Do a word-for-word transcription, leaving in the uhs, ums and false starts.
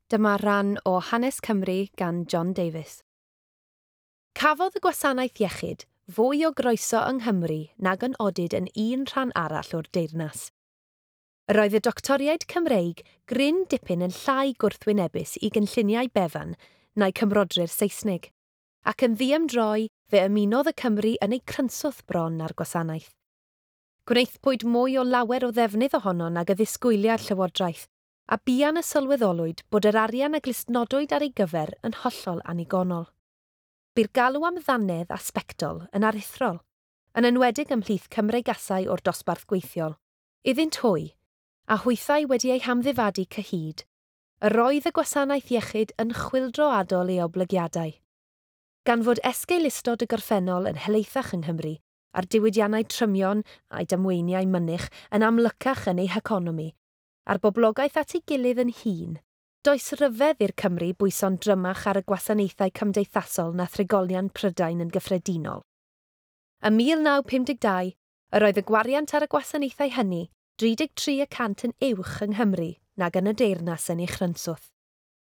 Dyma ran o Hanes Cymru gan John Davies. Cafodd y gwasanaeth iechyd fwy o groeso yng Nghymru nag yn odid yn un rhan arall o'r deyrnas. Yr oedd y doctoriaid Cymreig gryn dipyn yn llai gwrthwynebus i gynlluniau Bevan na'i cymrodri'r Saesnig, ac yn ddiymdroi fe ymunodd y Cymry yn eu crynswth bron â'r gwasanaeth. Gwnaethpwyd mwy o lawer o ddefnydd ohono nag y ddisgwyliad Llywodraeth, a buan y sylweddolwyd bod yr arian a glustnodwyd ar ei gyfer yn hollol annigonol. Bu'r galw am ddannedd a sbectol yn aruthrol, yn enwedig ymhlith Cymreigasau o'r dosbarth gweithiol. Iddynt hwy, a hwythau wedi eu hamddifadu cyhyd, yr oedd y gwasanaeth iechyd yn chwyldroadol ei oblygiadau. Gan fod esgeulustod y gorffennol yn helaethach yng Nghymru, a'r diwydiannau trymion a'i damweiniau mynych yn amlycach yn ei heconomi, a'r boblogaeth at ei gilydd yn hŷn, does ryfedd i'r Cymry bwyso'n drymach ar y gwasanaethau cymdeithasol na thrigolion Prydain yn gyffredinol. Ym mil naw pum deg dau, yr oedd y gwariant ar y gwasanaethau hynny dri deg tri y cant yn uwch yng Nghymru nag yn y deyrnas yn ei chrynswth.